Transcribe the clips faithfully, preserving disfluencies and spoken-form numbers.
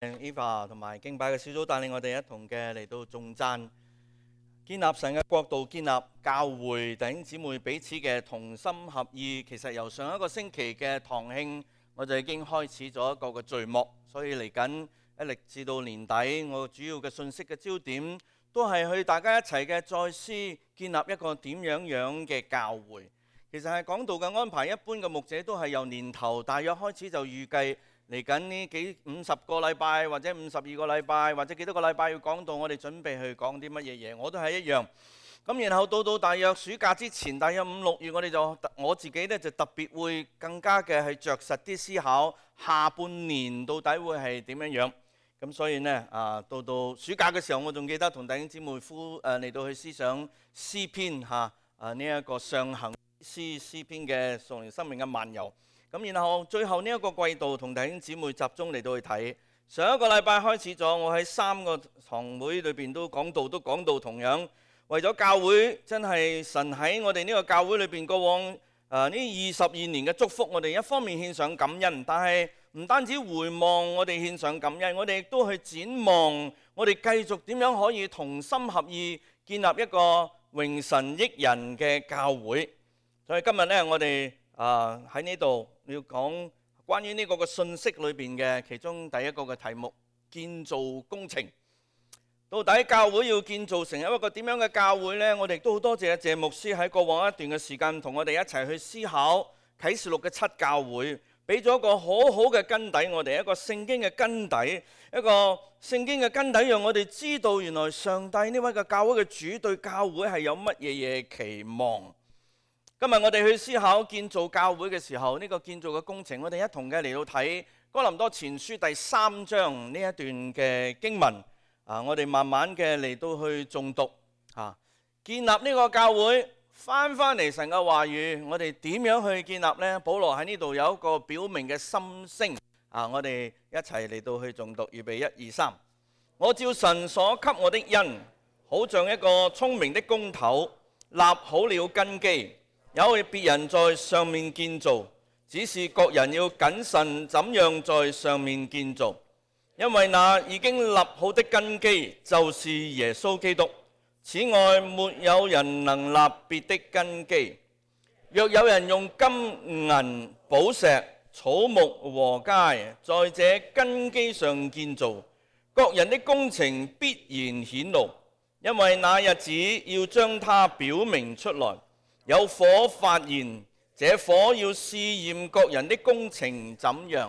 Eva 同埋敬拜嘅小組帶領我哋一同嘅嚟到頌讚，建立神嘅國度，建立教會弟兄姊妹彼此嘅同心合意。其實由上一個星期嘅堂慶，我就已經開始咗一個嘅序幕，所以嚟緊一直至到年底，我主要嘅信息嘅焦點都係去大家一齊嘅再思建立一個點樣樣嘅教會。其實係講道嘅安排，一般嘅牧者都係由年頭大約開始就預計。嚟緊呢幾五十個禮拜或者五十二個禮拜或者幾多個禮拜要講到，我哋準備去講啲乜嘢嘢，我都係一樣。咁然後到到大約暑假之前，大約五六月，我哋就我自己呢就特別會更加嘅係著實啲思考下半年到底會係點樣樣。咁所以呢啊，到到暑假嘅時候，我仲記得同弟兄姊妹夫誒嚟到去思想詩篇嚇啊呢一個上行詩詩篇嘅屬靈生命嘅漫遊。咁然後最後呢一個季度同弟兄姊妹集中嚟到去睇，上一個禮拜開始咗，我喺三個堂會裏邊都講到，都講到同樣為咗教會真係神喺我哋呢個教會裏邊過往誒呢二十二年嘅祝福，我哋一方面獻上感恩，但係唔單止回望我哋獻上感恩，我哋亦都去展望我哋繼續點樣可以同心合意建立一個榮神益人嘅教會。所以今日呢，我哋啊喺呢度要講關於呢個嘅信息裏邊嘅其中第一個嘅題目，建造工程。到底教會要建造成一個點樣嘅教會呢？我哋都好多謝謝牧師喺過往一段嘅時間同我哋一齊去思考啟示錄嘅七教會，俾咗一個好好嘅根底，我哋一個聖經嘅根底，一個聖經嘅根底，讓我哋知道原來上帝呢位嘅教會嘅主對教會係有乜嘢嘢期望。今日我哋去思考建造教會嘅時候，呢個建造嘅工程，我哋一同嘅嚟到睇哥林多前書第三章呢一段嘅經文。啊，我哋慢慢嘅嚟到去誦讀啊，建立呢個教會，翻翻嚟神嘅話語，我哋點樣去建立呢？保羅喺呢度有一個表明嘅心聲啊，我哋一齊嚟到去誦讀，預備一二三。我照神所給我的恩，好像一個聰明的工頭，立好了根基。有別人在上面建造，只是各人要謹慎怎樣在上面建造，因為那已經立好的根基就是耶穌基督。此外沒有人能立別的根基。若有人用金銀寶石草木禾秸在這根基上建造，各人的工程必然顯露，因為那日子要將它表明出來。有火發現，這火要試驗各人的工程怎樣。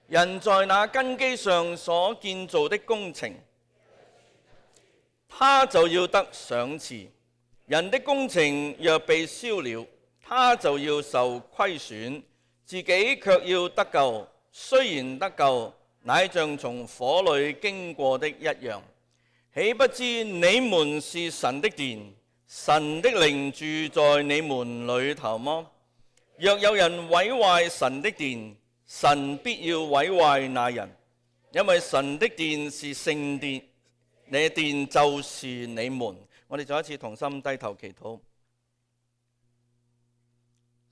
人在那根基上所建造的工程，他就要得賞賜。人的工程若被燒了，他就要受虧損，自己卻要得救。雖然得救，乃像從火裏經過的一樣。豈不知你們是神的殿，神的靈住在你們裏頭麼？若有人毀壞神的殿，神必要毀壞那人，因為神的殿是聖殿，你殿就是你們。我哋再一次同心低頭祈禱。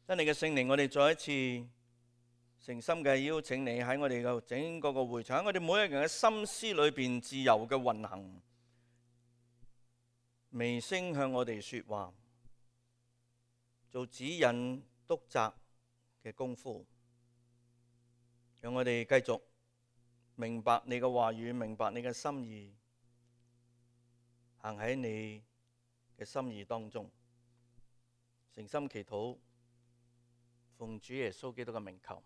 真理嘅聖靈，我哋再一次誠心嘅邀請你喺我哋嘅整個個會場，喺我哋每一個人嘅心思裏邊自由嘅運行。微聲向我哋說話，做指引督責嘅功夫，讓我哋繼續明白你嘅話語，明白你嘅心意，行喺你嘅心意當中。誠心祈禱，奉主耶穌基督嘅名求。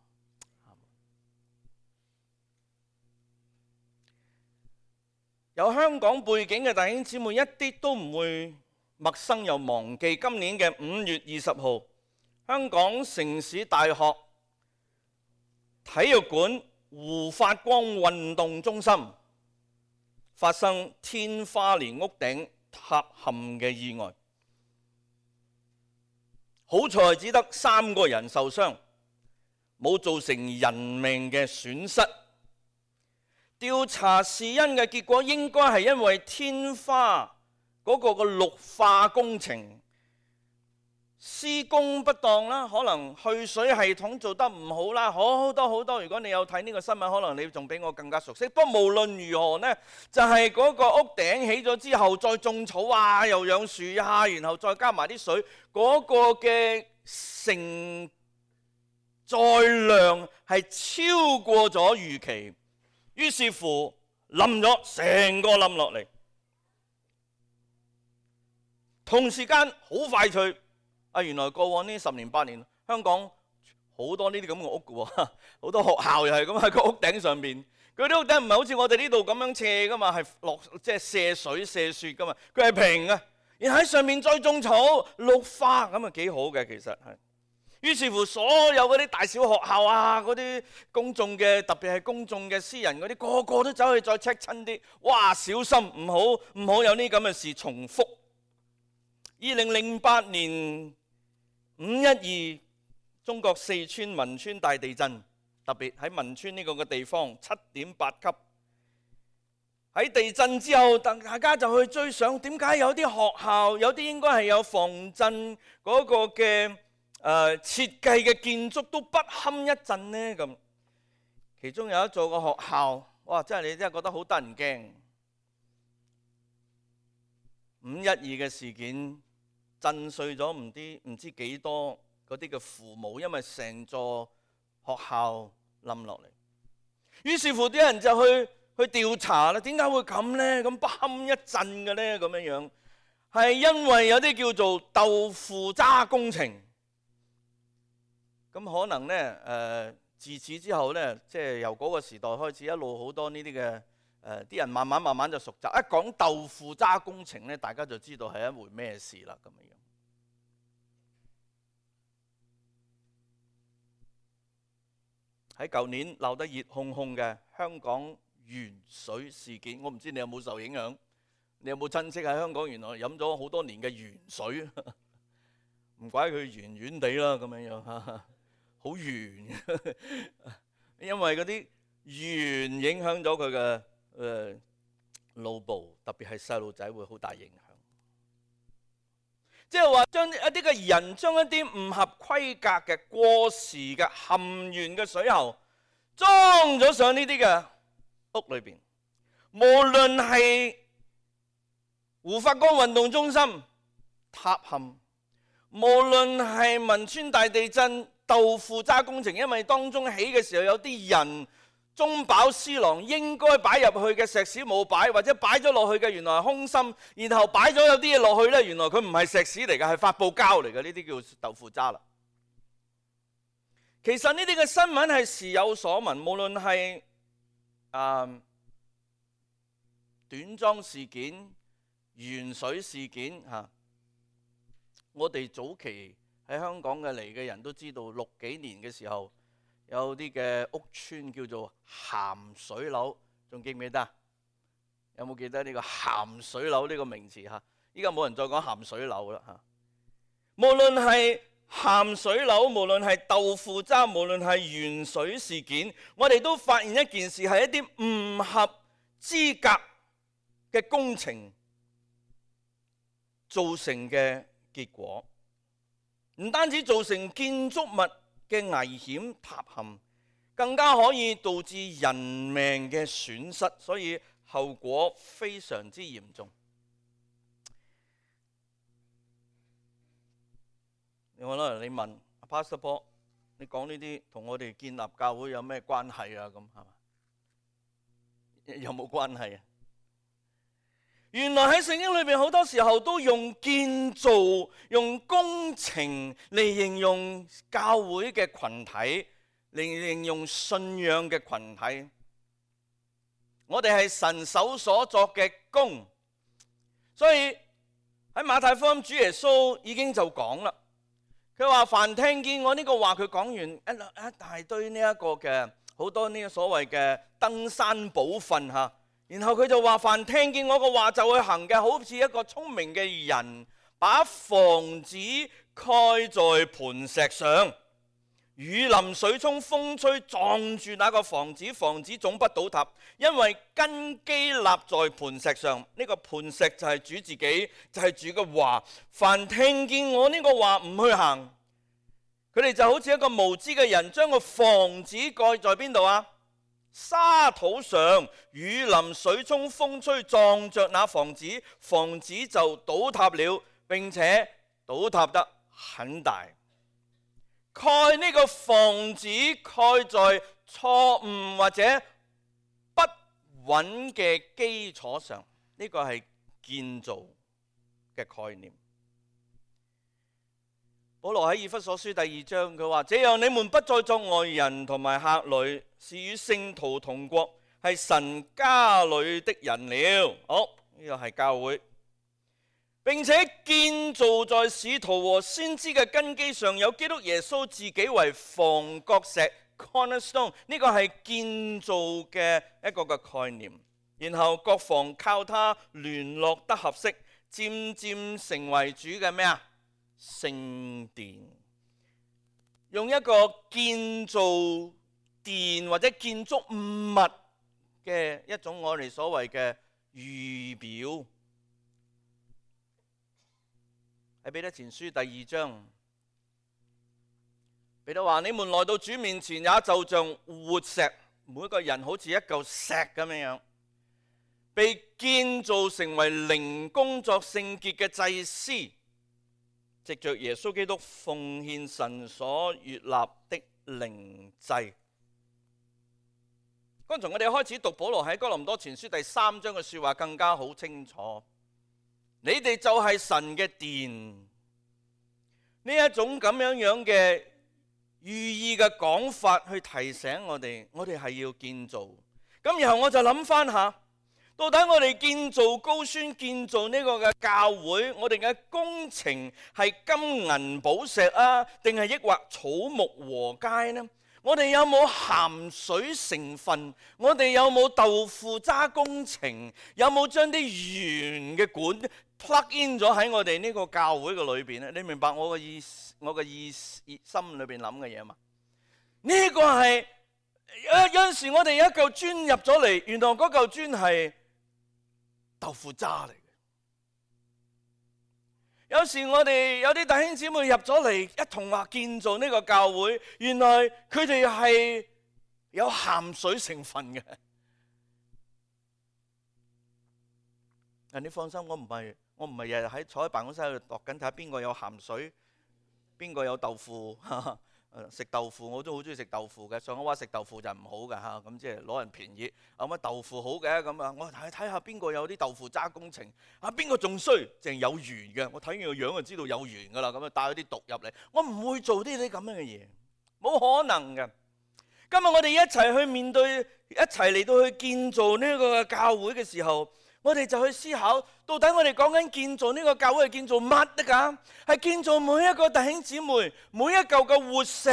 有香港背景嘅弟兄姊妹一啲都唔會陌生又忘記今年嘅五月二十號，香港城市大學體育館胡發光運動中心發生天花連屋頂塌陷嘅意外，好彩只得三個人受傷，冇造成人命嘅損失。調查事因嘅結果應該係因為天花嗰個嘅綠化工程施工不當啦，可能去水系統做得唔好啦，好多好多。如果你有睇呢個新聞，可能你仲比我更加熟悉。不過無論如何呢，就係嗰個屋頂起咗之後，再種草啊，又養樹啊，然後再加埋啲水，嗰個嘅承載量係超過咗預期，於是乎冧咗，成個冧落嚟。同時間好快脆。啊！原來過往呢十年八年，香港好多呢啲咁嘅屋嘅喎，好多學校又係咁喺個屋頂上邊。佢啲屋頂唔係好似我哋呢度咁樣斜噶嘛，係落即係射水射雪噶嘛，佢係平嘅。然後喺上面再種草綠化，咁啊幾好嘅其實係。於是乎，所有嗰啲大小學校啊，嗰啲公眾嘅，特別係公眾嘅私人嗰啲，個個都走去再 check 親啲，哇！小心唔好唔好有呢咁嘅事重複。二零零八年五一二，中國四川汶川大地震，特別喺汶川呢個嘅地方，七點八級。喺地震之後，大家就去追想，點解有啲學校，有啲應該係有防震嗰個嘅誒、呃、設計嘅建築都不堪一震呢？咁其中有一座個學校，哇！真係你真係覺得好得人驚。五一二嘅事件。震碎咗唔知唔知幾多嗰啲嘅父母，因為成座學校冧落嚟。於是乎啲人就去去調查啦，點解會咁呢？咁不堪一震嘅呢？咁樣樣係因為有啲叫做豆腐渣工程。咁可能呢，誒、呃，自此之後呢，即係由嗰個時代開始，一路好多呢啲嘅誒啲人慢慢慢慢就熟習。一講豆腐渣工程呢，大家就知道係一回咩事啦。咁樣。喺舊年鬧得熱烘烘嘅香港鉛水事件，我唔知你有冇受影響？你有冇親戚喺香港？原來飲咗好多年嘅鉛水，唔怪佢圓圓地啦，咁樣樣嚇，好圓。因為嗰啲鉛影響咗佢嘅誒腦部，特別係細路仔會好大影響。即係話將一啲嘅人將一啲唔合規格嘅過時嘅含鉛嘅水喉裝咗上呢啲嘅屋裏邊，無論係胡法光運動中心塌陷，無論係汶川大地震豆腐渣工程，因為當中起嘅時候有啲人中飽私囊，應該擺入去嘅石屎冇擺，或者擺咗落去嘅原來係空心，然後擺咗有啲嘢落去呢，原來佢唔係石屎嚟嘅，係發泡膠嚟嘅，呢啲叫豆腐渣啦。其實呢啲嘅新聞係時有所聞，無論係誒短樁事件、鉛水事件嚇，我哋早期喺香港嘅嚟嘅人都知道，六幾年嘅時候。有啲嘅屋邨叫做鹹水樓，仲記唔記得？有冇記得呢個鹹水樓呢個名詞嚇？依家冇人再講鹹水樓啦嚇。無論係鹹水樓，無論係豆腐渣，無論係鉛水事件，我哋都發現一件事，係一啲唔合資格嘅工程造成嘅結果，唔單止造成建築物嘅危險塌陷，更加可以導致人命嘅損失，所以後果非常之嚴重。我可能你問 Pastor Paul， 你講呢啲同我哋建立教會有咩關係啊？咁係嘛？有冇關係啊？原來喺聖經裏邊好多時候都用建造、用工程嚟形容教會嘅群體，嚟形容信仰嘅群體。我哋係神手所作嘅工，所以喺馬太福音主耶穌已經就講啦，佢話凡聽見我呢個話，佢講完一一大堆呢一個嘅好多呢個所謂嘅登山寶訓嚇。然後佢就話：凡聽見我個話就去行嘅，好似一個聰明嘅人，把房子蓋在磐石上。雨淋水沖風吹撞住那個房子，房子總不倒塌，因為根基立在磐石上。呢、這個磐石就係主自己，就係、是、主嘅話。凡聽見我呢個話唔去行，佢哋就好似一個無知嘅人，將個房子蓋在邊度啊？沙土上，雨淋水沖風吹撞着那房子，房子就倒塌了，並且倒塌得很大。蓋呢個房子蓋在錯誤或者不穩嘅基礎上，呢、這個係建造嘅概念。保羅喺以弗所書第二章佢話：這樣你們不再作外人同埋客旅，是與聖徒同國，係神家裏的人了。好，呢個係教會。並且建造在使徒和先知嘅根基上，有基督耶穌自己為房角石 cornerstone， 呢個係建造嘅一個嘅概念。然後各房靠他聯絡得合適，漸漸成為主嘅咩啊？聖殿。用一個建造殿或者建築物嘅一種我哋所謂嘅預表。喺彼得前書第二章，彼得話：你們來到主面前，也就像活石，每個人好似一嚿石咁樣，被建造成為靈工作聖潔嘅祭司，藉着耶穌基督奉獻神所悅納的靈祭。剛才我哋開始讀保羅喺哥林多前書第三章嘅說話更加好清楚。你哋就係神嘅殿，呢一種咁樣樣嘅寓意嘅講法，去提醒我哋，我哋係要建造。咁然後我就諗翻下，到底我哋建造高宣建造呢個嘅教會，我哋嘅工程係金銀寶石啊，定係抑或草木禾秸呢？我哋有冇鹹水成分？我哋有冇豆腐渣工程？有冇將啲圓嘅管plug in 咗喺我哋呢個教會嘅裏邊咧？你明白我嘅意思，我嘅意思心裏邊諗嘅嘢嘛？呢、這個係有有陣時我哋有一嚿磚入咗嚟，原來嗰嚿磚係豆腐渣嚟嘅。有時我哋有啲弟兄姊妹入咗嚟，一同話建造呢個教會，原來佢哋係有鹹水成分嘅。你放心，我唔係我唔係日日喺坐喺辦公室喺度度緊睇下邊個有鹹水，邊個有豆腐。食豆腐我都好中意食豆腐嘅，上海話食豆腐就唔好嘅嚇，咁即係攞人便宜。咁乜豆腐好嘅咁啊？我睇睇下邊個有啲豆腐渣工程啊？邊個仲衰？淨係有緣嘅，我睇佢個樣就知道有緣噶啦。咁啊帶咗啲毒入嚟，我唔會做啲啲咁樣嘅嘢，冇可能嘅。今日我哋一齊去面對，一齊嚟到去建造呢個教會嘅時候，我哋就去思考，到底我哋講緊建造呢個教會係建造乜得㗎？係建造每一個弟兄姊妹，每一嚿嘅活石，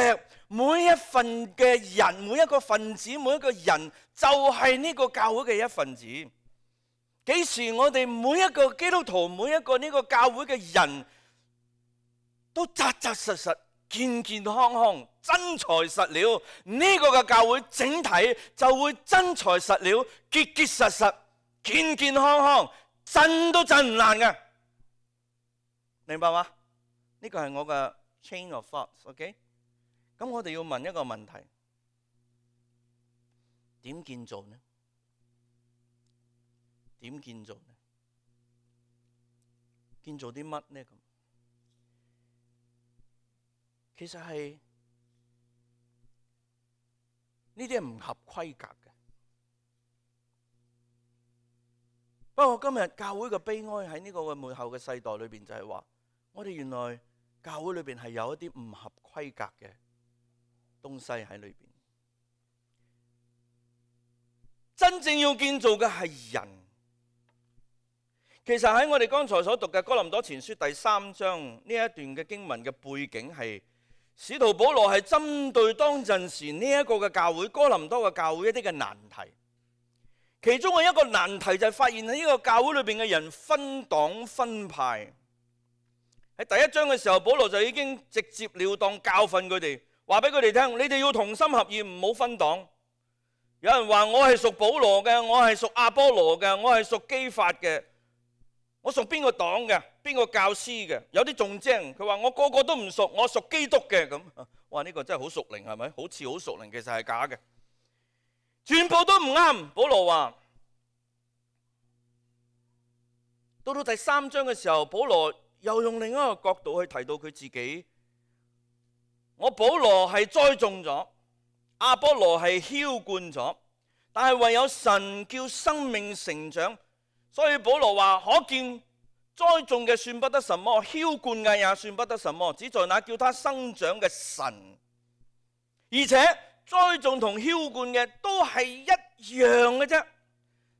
每一份嘅人，每一個分子，每一個人就係呢個教會嘅一份子。幾時我哋每一個基督徒，每一個呢個教會嘅人都扎扎實實、健健康康、真材實料，呢個嘅教會整體就會真材實料、結結實實、健健康康，震都震唔爛嘅，明白嗎？呢個係我嘅 chain of thoughts，OK？ 咁我哋要問一個問題：點建造呢？點建造呢？建造啲乜呢？咁其實係呢啲係唔合規格嘅。不過今日教會嘅悲哀喺呢個嘅末後嘅世代裏邊，就係話我哋原來教會裏邊係有一啲唔合規格嘅東西喺裏邊。真正要建造嘅係人。其實喺我哋剛才所讀嘅哥林多前書第三章呢一段嘅經文嘅背景係，使徒保羅係針對當陣時呢一個嘅教會，哥林多嘅教會一啲嘅難題。其中嘅一個難題就係發現喺呢個教會裏邊嘅人分黨分派。喺第一章嘅時候，保羅就已經直接了當教訓佢哋，話俾佢哋聽，你哋要同心合意，唔好分黨。有人話我係屬保羅嘅，我係屬亞波羅嘅，我係屬基法嘅，我屬邊個黨嘅，邊個教師嘅？有啲仲精，佢話我個個都唔屬，我屬基督嘅咁。哇！呢個真係好屬靈，係咪？好似好屬靈，其實係假嘅，全部都唔啱。保羅話，到到第三章嘅時候，保羅又用另一個角度去提到佢自己。我保羅係栽種咗，亞波羅係澆灌咗，但係唯有神叫生命成長。所以保羅話，可見栽種嘅算不得什麼，澆灌嘅也算不得什麼，只在那叫他生長嘅神。而且栽種同澆灌嘅都係一樣嘅啫。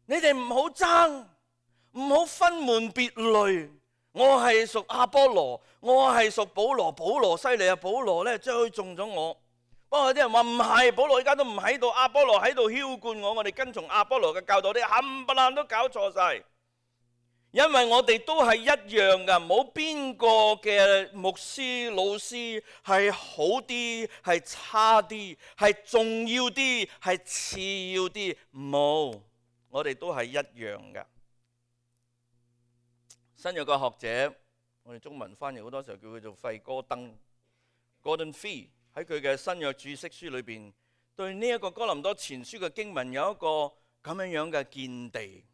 你哋唔好爭，唔好分門別類。我係屬亞波羅，我係屬保羅。保羅犀利啊！保羅咧栽種咗我。不過有啲人話唔係，保羅而家都唔喺度，亞波羅喺度澆灌我。我哋跟從亞波羅嘅教導，啲冚唪唥都搞錯晒。因為我哋都係一樣噶，冇邊個嘅牧師老師係好啲，係差啲，係重要啲，係次要啲，冇，我哋都係一樣噶。新約嘅學者，我哋中文翻譯好多時候叫佢做費哥登 （Gordon Fee），喺佢嘅新約注釋書裏邊，對呢一個哥林多前書嘅經文有一個咁樣樣嘅見地。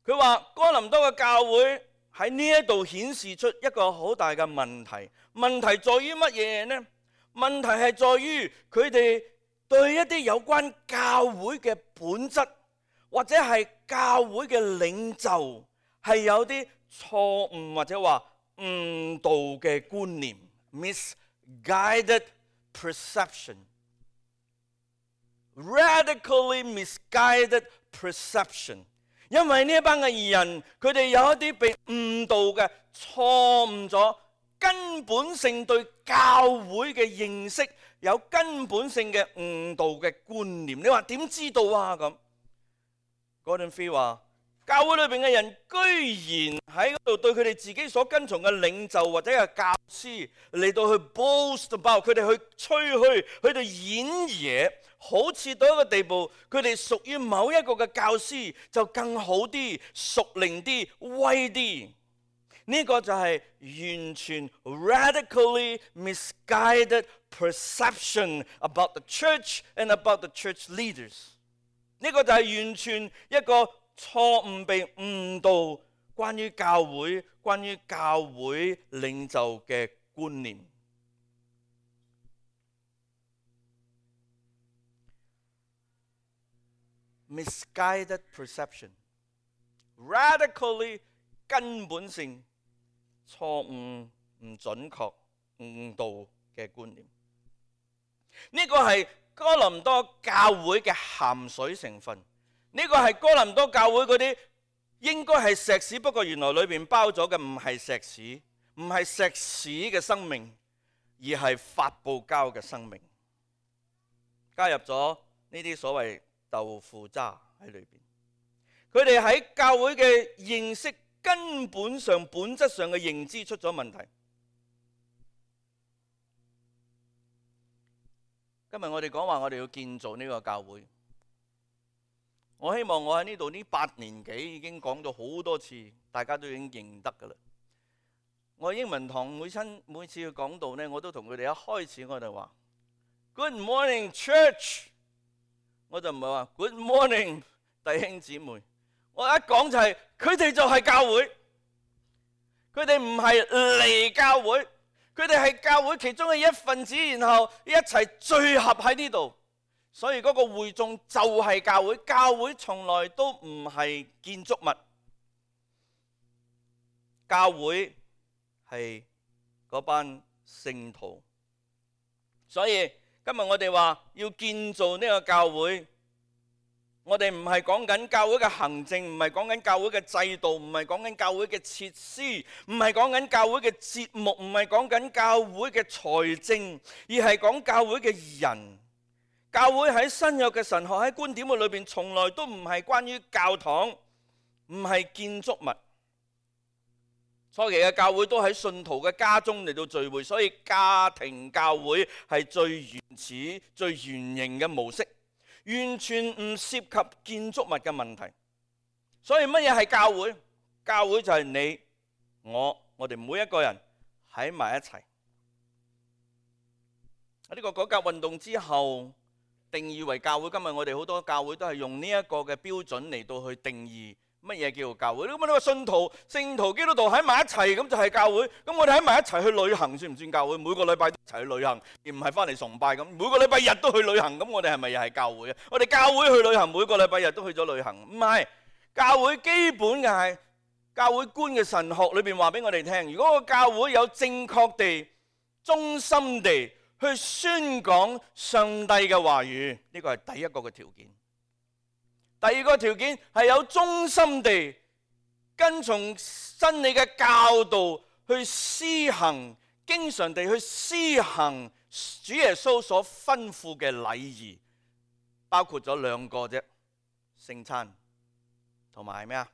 佢話哥林多嘅教會喺呢一度顯示出一個好大嘅問題。問題在於乜嘢呢？問題係在於佢哋對一啲有關教會嘅本質，或者係教會嘅領袖，係有啲錯誤或者話誤導嘅觀念 （misguided perception）。radically misguided perception。因為呢一班嘅人，佢哋有一啲被誤導嘅錯誤咗，根本性對教會嘅認識有根本性嘅誤導嘅觀念。你話點知道啊？咁 Gordon Fee 話，教會裏邊嘅人居然喺嗰度對佢哋自己所跟從嘅領袖或者係教師嚟到去 boast about， 佢哋去吹噓，佢哋演嘢，好似到一個地步，佢哋屬於某一個嘅教師就更好啲、屬靈啲、威啲。呢、這個就係完全 radically misguided perception about the church and about the church leaders。呢個就係完全一個錯誤被誤導關於教會、關於教會領袖嘅觀念。Misguided perception， radically 根本性錯誤、唔準確、誤導嘅觀念。呢個係哥林多教會嘅鹹水成分。呢個係哥林多教會嗰啲應該係石屎，不過原來裏面包咗嘅唔係石屎，唔係石屎嘅生命，而係發泡膠嘅生命，加入咗呢啲所謂豆腐渣喺裏邊。佢哋喺教會嘅認識根本上、本質上嘅認知出咗問題。今日我哋講話，我哋要建造呢個教會。我希望我喺呢度呢八年幾已經講咗好多次，大家都已經認得噶啦。我英文堂每親每次去講道呢，我都同佢哋一開始我就話 Good morning Church， 我就唔係話 Good morning 弟兄姊妹。我一講就係佢哋就係教會，佢哋唔係嚟教會，佢哋係教會其中嘅一份子，然後一齊聚合喺呢度。所以嗰個會眾就係教會，教會從來都唔係建築物，教會係嗰班聖徒。所以今日我哋話要建造呢個教會，我哋唔係講緊教會嘅行政，唔係講緊教會嘅制度，唔係講緊教會嘅設施，唔係講緊教會嘅節目，唔係講緊教會嘅財政，而係講教會嘅人。教會喺新約嘅神學喺觀點嘅裏邊，從來都唔係關於教堂，唔係建築物。初期嘅教會都喺信徒嘅家中嚟到聚會，所以家庭教會係最原始、最原型嘅模式，完全唔涉及建築物嘅問題。所以乜嘢係教會？教會就係你、我、我哋每一個人喺埋一齊。喺呢個改革運動之後，定義為教會。今日我哋好多教會都係用呢一個嘅標準嚟到去定義乜嘢叫做教會。咁啊，呢個信徒、聖徒、基督徒喺埋一齊，咁就係教會。咁我哋喺埋一齊去旅行，算唔算教會？每個禮拜都一齊去旅行，而唔係翻嚟崇拜咁。每個禮拜日都去旅行，咁我哋係咪又係教會啊？我哋教會去旅行，每個禮拜日都去咗旅行，唔係。教會基本嘅係教會觀嘅神學裏邊話俾我哋聽，如果個教會有正確地、忠心地去宣講上帝嘅話語，呢個係第一個嘅條件。第二個條件係有忠心地跟從真理嘅教導去施行，經常地去施行主耶穌所吩咐嘅禮儀，包括咗兩個啫，聖餐同埋咩啊？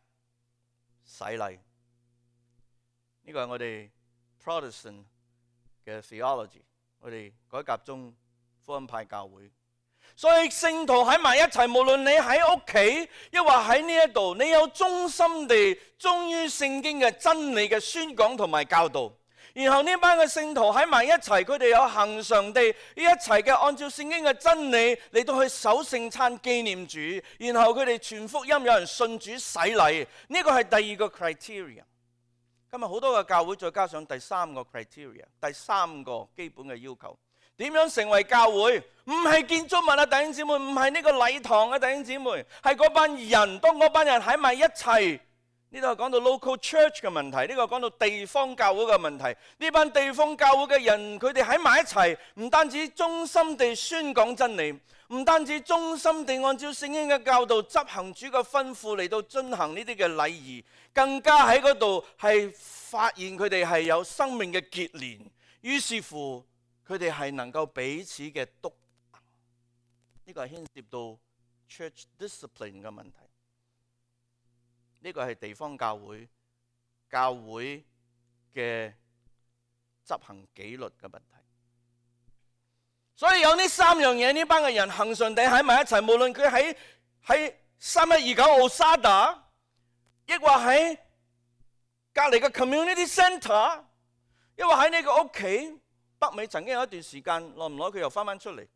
洗禮。呢個係我哋 Protestant 嘅 theology， 我哋改革宗福音派教會。所以聖徒喺埋一齊，無論你喺屋企，抑或喺呢一度，你有忠心地忠於聖經嘅真理嘅宣講同埋教導。然後呢班嘅聖徒喺埋一齊，佢哋有恆常地一齊嘅按照聖經嘅真理嚟到去守聖餐紀念主。然後佢哋傳福音，有人信主洗禮。呢個係第二個 criteria。今日好多嘅教會再加上第三個 criteria， 第三個基本嘅要求。點樣成為教會？唔係建築物啊，弟兄姊妹，唔係呢個禮堂啊，弟兄姊妹，係嗰班人。當嗰班人喺埋一齊。呢度係講到 local church 嘅問題，呢個講到地方教會嘅問題。呢班地方教會嘅人，佢哋喺埋一齊，唔單止忠心地宣講真理，唔單止忠心地按照聖經嘅教導執行主嘅吩咐嚟到進行呢啲嘅禮儀，更加喺嗰度係發現佢哋係有生命嘅結連，於是乎佢哋係能夠彼此嘅督責。呢個係牽涉到 church discipline 嘅問題。呢個係地方教會教會嘅執行紀律嘅問題。所以有呢三樣嘢，呢班嘅人恆常地喺埋一齊，無論佢喺喺三一二九奧沙達，亦或喺隔離嘅 community centre， 亦或喺呢個屋企。北美曾經有一段時間，耐唔耐佢又翻返出嚟。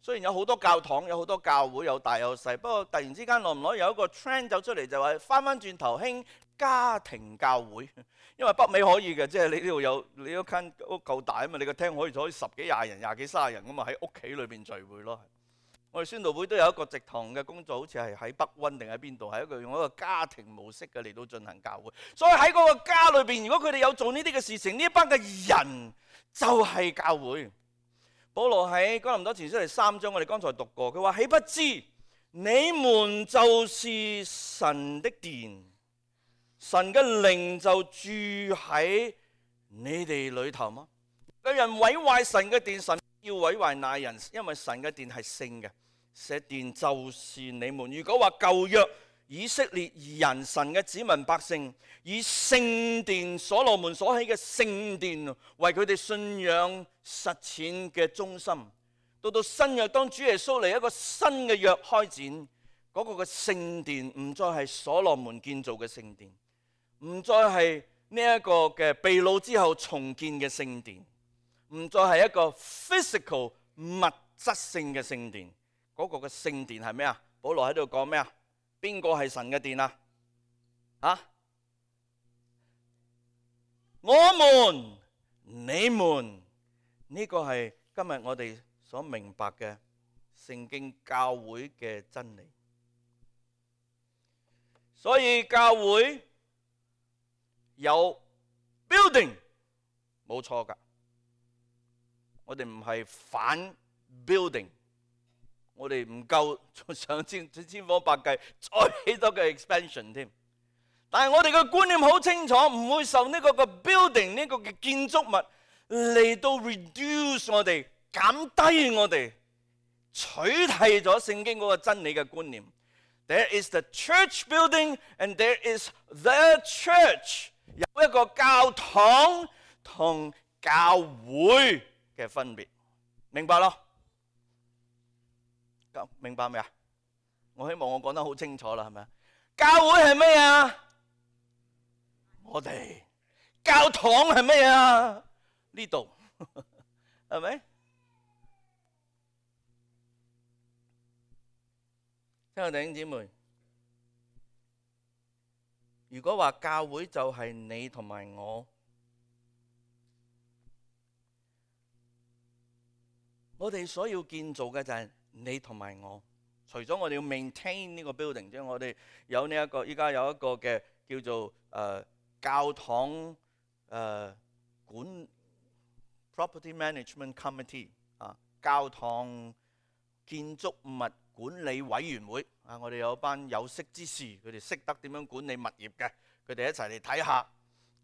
雖然有好多教堂，有好多教會，有大有細，不過突然之間耐唔耐有一個 trend 走出嚟，就話翻翻轉頭興家庭教會。因為北美可以嘅，即係你呢度有你嗰間屋夠大啊嘛，你個廳可以坐十幾廿人、廿幾卅人咁啊，喺屋企裏邊聚會咯。我哋宣道會都有一個植堂嘅工作，好似係喺北溫定喺邊度，係一個用一個家庭模式嘅嚟到進行教會。所以喺嗰個家裏邊，如果佢哋有做呢啲嘅事情，呢一班嘅人就係教會。保羅喺哥林多前書第三章，我哋剛才讀過，佢話：豈不知你們就是神的殿，神嘅靈就住喺你哋裏頭嗎？有人毀壞神嘅殿，神要毀壞那人，因為神嘅殿係聖嘅，這殿就是你們。如果話舊約以色列人神嘅子民百姓以聖殿所羅門所起嘅聖殿為佢哋信仰實踐嘅中心，到到新約當主耶穌嚟一個新嘅約開展，嗰個嘅聖殿唔再係所羅門建造嘅聖殿，唔再係呢一個嘅被擄之後重建嘅聖殿，唔再係一個 physical 物質性嘅聖殿。嗰個嘅聖殿係咩啊？保羅喺度講咩啊？邊個係神嘅殿啊？啊？我們、你們，呢個係今日我哋所明白嘅聖經教會嘅真理。所以教會有 building 冇錯㗎，我哋唔係反 building。我哋唔夠上千千方百計再起多個 expansion 添，但係我哋嘅觀念好清楚，唔會受呢個嘅 building 呢個嘅建築物嚟到 reduce 我哋，減低我哋，取締咗聖經嗰個真理嘅觀念。There is the church building and there is the church。有一個教堂同教會嘅分別，明白咯？明白未啊？我希望我講得好清楚啦，係咪啊？教會係咩啊？我哋。教堂係咩啊？呢度係咪？親愛弟兄姊妹，如果話教會就係你同埋我，我哋所要建造嘅就係你同埋我。除咗我哋要 maintain 呢個 building 之外，我哋有呢、這、一個，依家有一個嘅叫做誒、呃、教堂誒、呃、管 property management committee 啊，教堂建築物管理委員會啊，我哋有班有識之士，佢哋識得點樣管理物業嘅，佢哋一齊嚟睇下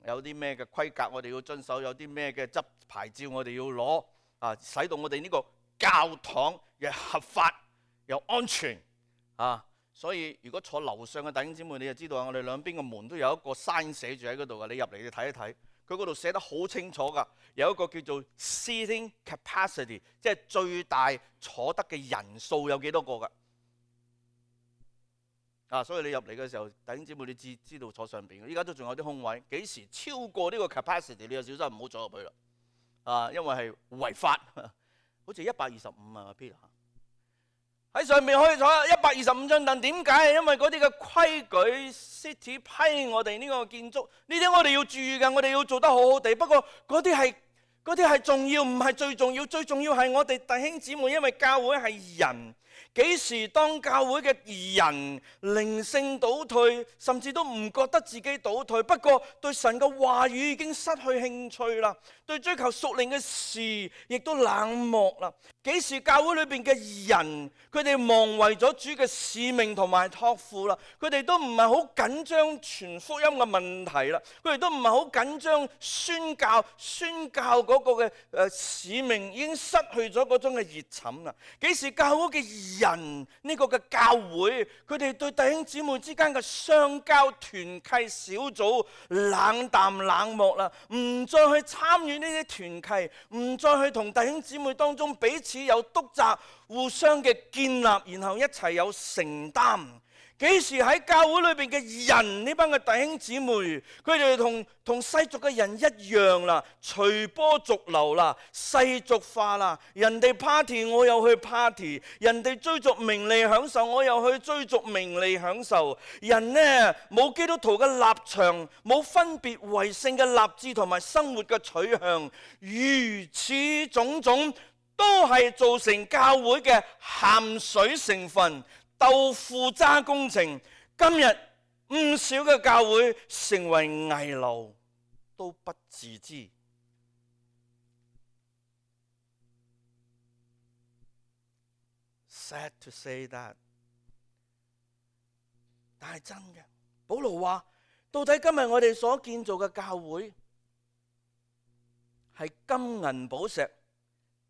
有啲咩嘅規格我哋要遵守，有啲咩嘅執牌照我哋要攞啊，使到我哋呢個教堂又合法又安全啊！所以如果坐樓上嘅弟兄姊妹，你就知道我哋兩邊嘅門都有一個 sign 寫住喺嗰度嘅，你入嚟你睇一睇，佢嗰度寫得好清楚㗎，有一個叫做 seating capacity， 即係最大坐得嘅人數有幾多個㗎？啊！所以你入嚟嘅時候，弟兄姊妹你知知道坐上邊，依家都仲有啲空位，幾時超過呢個 capacity， 你就小心唔好坐入去啦。啊，因為係違法，好似一百二十五啊 Peter。喺上面可以坐一百二十五張凳，點解？因為嗰啲嘅規矩 ，City 批我哋呢個建築，呢啲我哋要注意㗎，我哋要做得好好地。不過嗰啲係嗰啲係重要，唔係最重要。最重要係我哋弟兄姊妹，因為教會係人。幾時當教會嘅人靈性倒退，甚至都唔覺得自己倒退，不過對神嘅話語已經失去興趣啦，對追求屬靈嘅事亦都冷漠啦。幾時教會裏邊嘅人，佢哋忘為咗主嘅使命同埋託付啦，佢哋都唔係好緊張傳福音嘅問題啦，佢哋都唔係好緊張宣教宣教嗰個嘅誒使命，已經失去咗嗰種嘅熱忱啦。幾時教會嘅人呢個嘅教會，佢哋對弟兄姊妹之間嘅相交團契小組冷淡冷漠啦，唔再去參與呢啲團契，唔再去同弟兄姊妹當中彼此有督責，互相嘅建立，然後一齊有承擔。幾時喺教會裏邊嘅人，呢班嘅弟兄姊妹，佢哋同同世俗嘅人一樣啦，隨波逐流啦，世俗化啦。人哋 party 我又去 party， 人哋追逐名利享受我又去追逐名利享受。人呢冇基督徒嘅立場，冇分別為聖嘅立志同埋生活嘅取向，如此種種都係造成教會嘅鹹水成分。豆腐渣工程，今日唔少嘅教會成為危樓，都不自知。Sad to say that， 但係真嘅。保羅話：到底今日我哋所建造嘅教會係金銀寶石，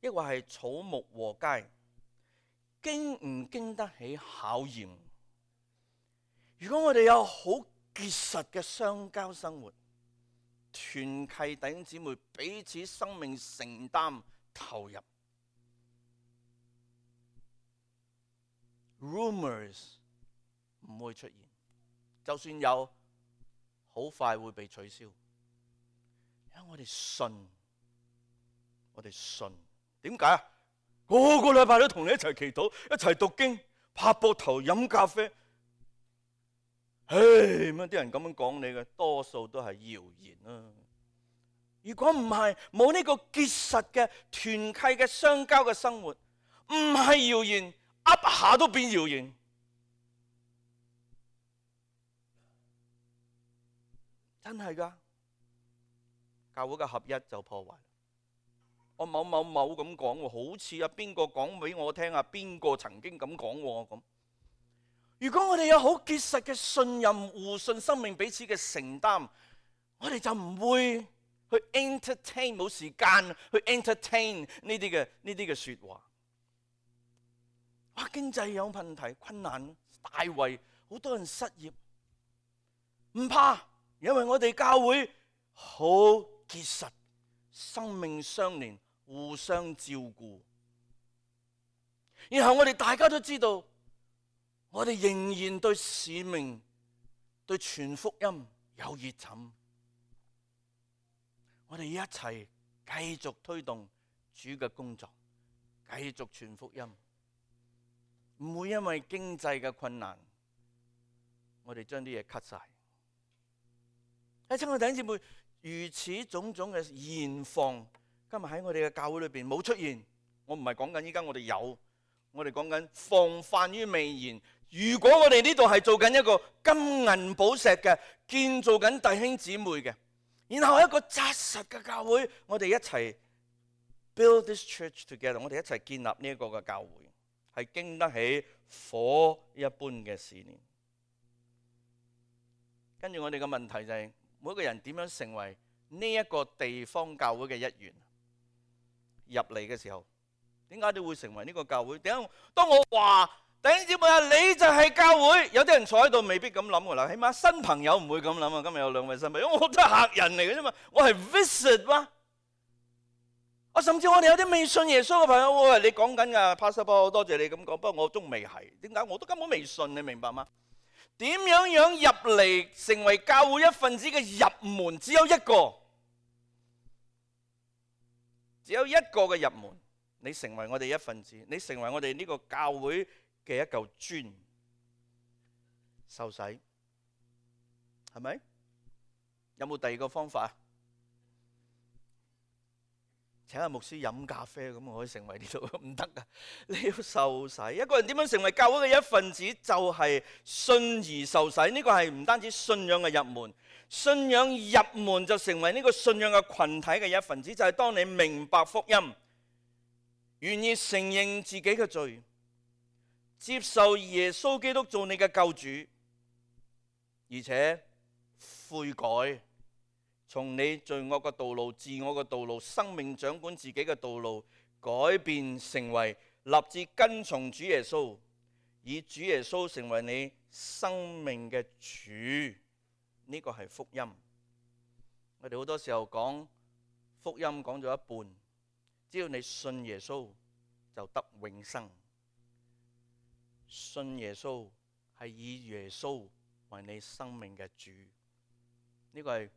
抑或係草木禾秸？經唔經得起考驗？如果我哋有好結實嘅相交生活，團契弟兄姊妹彼此生命承擔投入 ，rumors 唔會出現，就算有，好快會被取消。因為我哋信，我哋信，點解啊？個個禮拜都同你一齊祈禱，一齊讀經，拍膊頭飲咖啡。唉，咁啲人咁樣講你嘅，多數都係謠言啊！如果唔係冇呢個結實嘅團契嘅相交嘅生活，唔係謠言，噏下都變謠言。真係㗎，教會嘅合一就破壞。我某某某咁講喎，好似啊邊個講俾我聽啊，邊個曾經咁講喎咁。如果我哋有好結實嘅信任、互信、生命彼此嘅承擔，我哋就唔會去 entertain， 冇時間去 entertain 呢啲嘅呢啲嘅説話。哇！經濟有問題、困難，大圍好多人失業，唔怕，因為我哋教會好結實，生命相連，互相照顧。然後我哋大家都知道，我哋仍然對使命、對傳福音有熱忱。我哋一齊繼續推動主嘅工作，繼續傳福音，唔會因為經濟嘅困難，我哋將啲嘢 cut 晒。親愛的弟兄姊妹，如此種種嘅現況，今日喺我哋嘅教會裏邊冇出現。我唔係講緊依家我哋有，我哋講緊防範於未然。如果我哋呢度係做緊一個金銀寶石嘅，建造緊弟兄姊妹嘅，然後一個紮實嘅教會，我哋一齊 build this church together， 我哋一齊建立呢一個嘅教會，係經得起火一般嘅試煉。跟住我哋嘅問題就係，每個人點樣成為呢一個地方教會嘅一員？入嚟嘅時候，點解你會成為呢個教會？點解當我話弟兄姊妹啊，你就係教會，有啲人坐喺度未必咁諗噶啦，起碼新朋友唔會咁諗啊。今日有兩位新朋友，因為我都係客人嚟嘅啫嘛，我係 visit 嘛。我甚至我哋有啲未信耶穌嘅朋友，我話你講緊噶 Pastor Paul， 多謝你咁講，不過我仲未係。點解？我都根本未信，你明白嗎？點樣樣入嚟成為教會一份子嘅入門，只有一個，只有一個嘅入門。你成為我哋一份子，你成為我哋呢個教會嘅一嚿磚，受洗，係咪？有冇第二個方法？請阿牧師飲咖啡，咁我可以成為呢度？唔得噶，你要受洗。一個人點樣成為教會嘅一份子，就係信而受洗。呢個係唔單止信仰嘅入門，信仰入門就成為呢個信仰嘅群體嘅一份子。就係當你明白福音，願意承認自己嘅罪，接受耶穌基督做你嘅救主，而且悔改，從你罪惡嘅道路、自我嘅道路、生命掌管自己嘅道路，改變成為立志跟從主耶穌，以主耶穌成為你生命嘅主。呢個係福音。我哋好多時候講福音講咗一半，只要你信耶穌就得永生。信耶穌係以耶穌為你生命嘅主，呢個係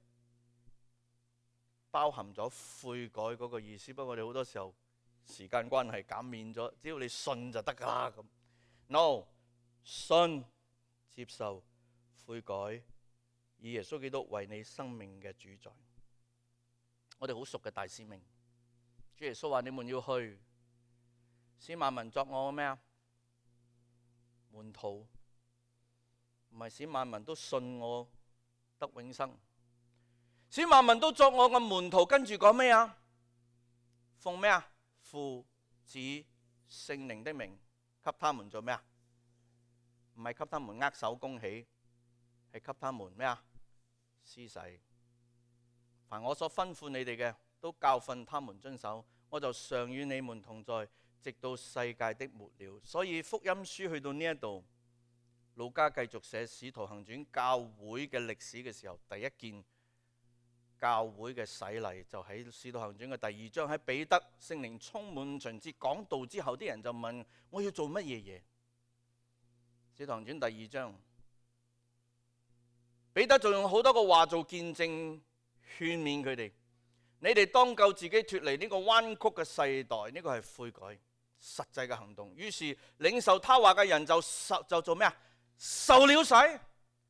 包含咗悔改嗰個意思。不過我哋好多時候時間關係減免咗，只要你信就得噶啦咁。No， 信、接受、悔改，以耶穌基督為你生命嘅主宰。我哋好熟嘅大使命，主耶穌話：你們要去，使萬民作我咩啊？門徒，唔係使萬民都信我得永生，使萬民都作我嘅門徒。跟住講咩啊？奉咩啊？父子聖靈的名，給他們做咩啊？唔係給他們握手恭喜，係給他們咩啊？施洗。凡我所吩咐你哋嘅，都教訓他們遵守。我就常與你們同在，直到世界的末了。所以福音書去到呢一度，路加繼續寫使徒行傳教會嘅歷史嘅時候，第一件教會嘅洗禮就喺使徒行傳嘅第二章，喺彼得聖靈充滿五旬節講道之後，啲人就問：我要做乜嘢嘢？使徒行傳第二章，彼得就用好多個話做見證，勸勉佢哋：你哋當救自己脫離呢個彎曲嘅世代。呢個係悔改實際嘅行動。於是領受他話嘅人就受就做咩啊？受了洗。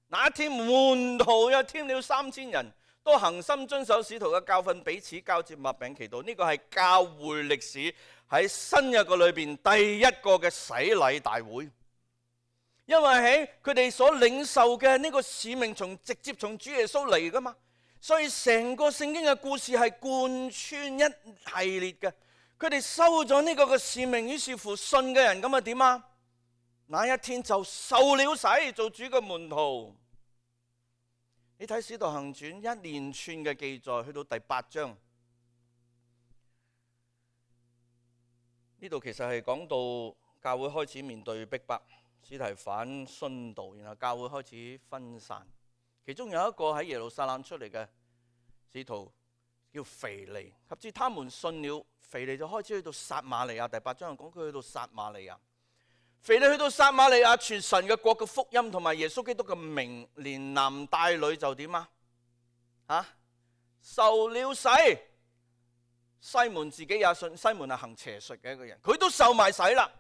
那一天門徒又添了三千人，都恒心遵守使徒嘅教訓，彼此交接擘餅祈禱。呢個係教會歷史喺新約嘅裏邊第一個嘅洗禮大會。因為喺佢哋所領受嘅呢個使命，從直接從主耶穌嚟噶嘛，所以成個聖經嘅故事係貫穿一系列嘅。佢哋收咗呢個嘅使命，於是乎信嘅人咁啊點啊？那一天就受了洗，做主嘅門徒。你睇《使徒行傳》一連串嘅記載，去到第八章，呢度其實係講到教會開始面對逼迫，司提反殉道，然後教會開始分散。其中有一個喺耶路撒冷出嚟嘅使徒叫腓利，及至他們信了，腓利就開始去到撒瑪利亞。第八章講佢去到撒瑪利亞，腓利去到撒瑪利亞傳神嘅國嘅福音同埋耶穌基督嘅名，連男帶女就點啊？啊，受了洗。西門自己也信，西門係行邪術嘅一個人，佢都受埋洗啦，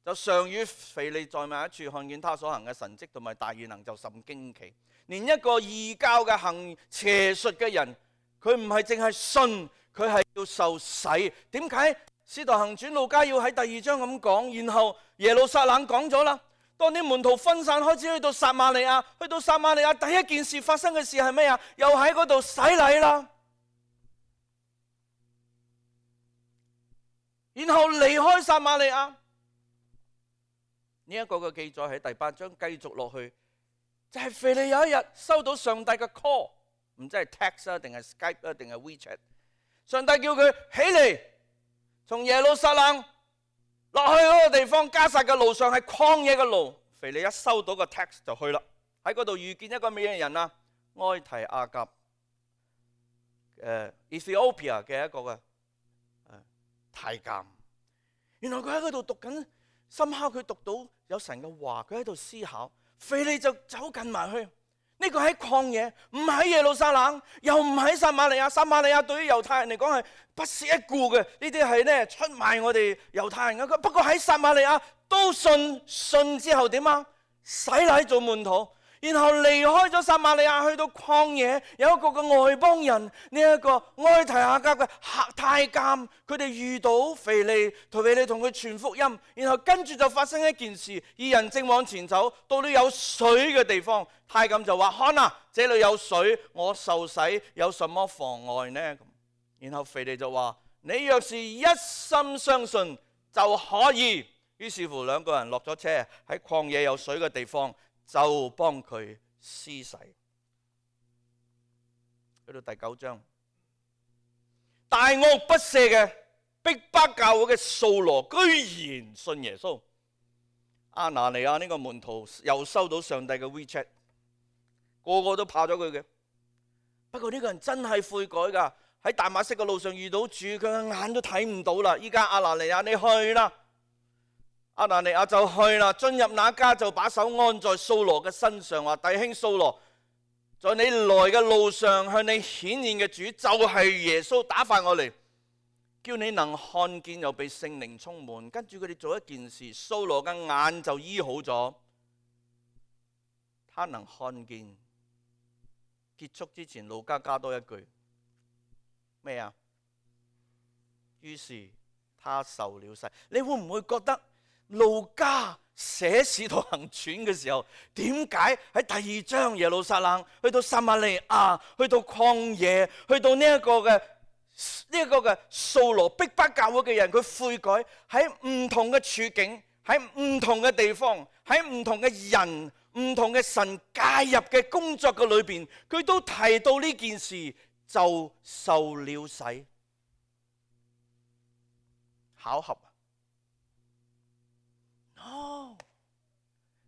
就常與腓利在埋一處，看見他所行嘅神蹟同埋大異能，就甚驚奇。連一個異教嘅行邪術嘅人，佢唔係淨係信，佢係要受洗。點解使徒行傳路加要喺第二章咁講？然後耶路撒冷講咗啦，當啲門徒分散開始去到撒瑪利亞，去到撒瑪利亞第一件事發生嘅事係咩啊？又喺嗰度洗禮啦。然後離開撒瑪利亞，呢一個嘅記載喺第八章繼續落去，就係腓利有一日收到上帝嘅 call， 唔知係 text 啊，定係 Skype 啊，定係 WeChat。上帝叫佢起嚟，從耶路撒冷落去嗰個地方，加撒嘅路上係曠野嘅路。腓利一收到個 text 就去啦，喺嗰度遇見一個咩人啊？埃提亞甲，誒 Ethiopia 嘅一個嘅太監。原來佢喺嗰度讀緊，深刻佢讀到有神嘅話，佢喺度思考。腓利就走近埋去，呢個喺曠野，唔喺耶路撒冷，又唔喺撒瑪利亞。撒瑪利亞對於猶太人嚟講係不屑一顧嘅，呢啲係咧出賣我哋猶太人嘅。不過喺撒瑪利亞都信，信之後點啊？洗禮做門徒。然後離開咗撒瑪利亞，去到曠野，有一個嘅外邦人，呢、這、一個埃提亞甲嘅太監，佢哋遇到腓利，同腓利同佢傳福音，然後跟住就發生一件事，二人正往前走，到了有水嘅地方，太監就話：看啊，這裏有水，我受洗有什麼妨礙呢？然後腓利就話：你若是一心相信就可以。於是乎兩個人落咗車，喺曠野有水嘅地方，就幫佢施洗。去到第九章，大惡不赦嘅逼迫教會嘅掃羅居然信耶穌。亞拿尼亞呢個門徒又收到上帝嘅 WeChat， 個個都怕咗佢嘅。不過呢個人真係悔改噶，喺大馬色嘅路上遇到主，佢嘅眼都睇唔到啦。依家亞拿尼亞，你去啦。亞拿尼亞就去啦，進入那家就把手按在掃羅嘅身上，話：弟兄掃羅，在你來嘅路上向你顯現嘅主就係耶穌，打發我嚟，叫你能看見又被聖靈充滿。跟住佢哋做一件事，掃羅嘅眼就醫好咗，他能看見。結束之前，路加加多一句咩啊？於是他受了洗。你會唔會覺得路加寫使徒行傳嘅時候，點解喺第二章耶路撒冷，去到撒瑪利亞，去到曠野，去到呢一個嘅呢一個嘅掃羅逼迫教會嘅人，佢悔改，喺唔同嘅處境，喺唔同嘅地方，喺唔同嘅人，唔同嘅神介入嘅工作嘅裏邊，佢都提到呢件事，就受了洗。巧合？哦，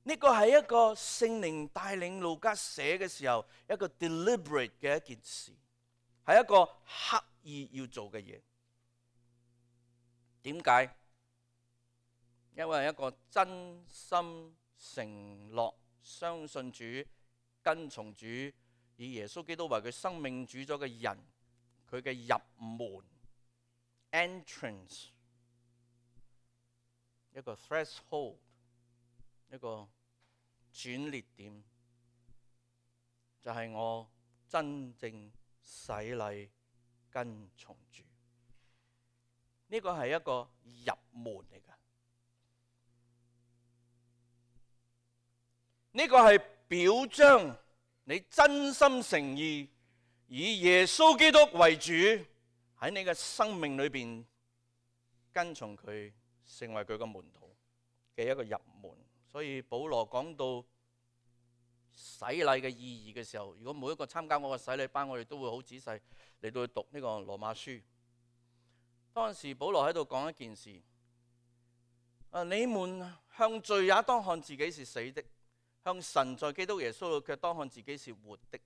呢個係一個聖靈帶領路加寫嘅時候，一個 deliberate 嘅一件事，係一個刻意要做嘅嘢。點解？因為一個真心承諾相信主、跟從主、以耶穌基督為佢生命主咗嘅人，佢嘅入門 entrance。一個 threshold， 一個轉捩點，就係、是、我真正洗禮跟從主。呢個係一個入門嚟㗎，呢個係表彰你真心誠意以耶穌基督為主，喺你嘅生命裏邊跟從佢，成為佢嘅門徒嘅一個入門。所以保羅講到洗禮嘅意義嘅時候，如果每一個參加我嘅洗禮班，我哋都會好仔細嚟到去讀呢個羅馬書。當時保羅喺度講一件事，啊，你們向罪也當看自己是死的，向神在基督耶穌裏卻當看自己是活的。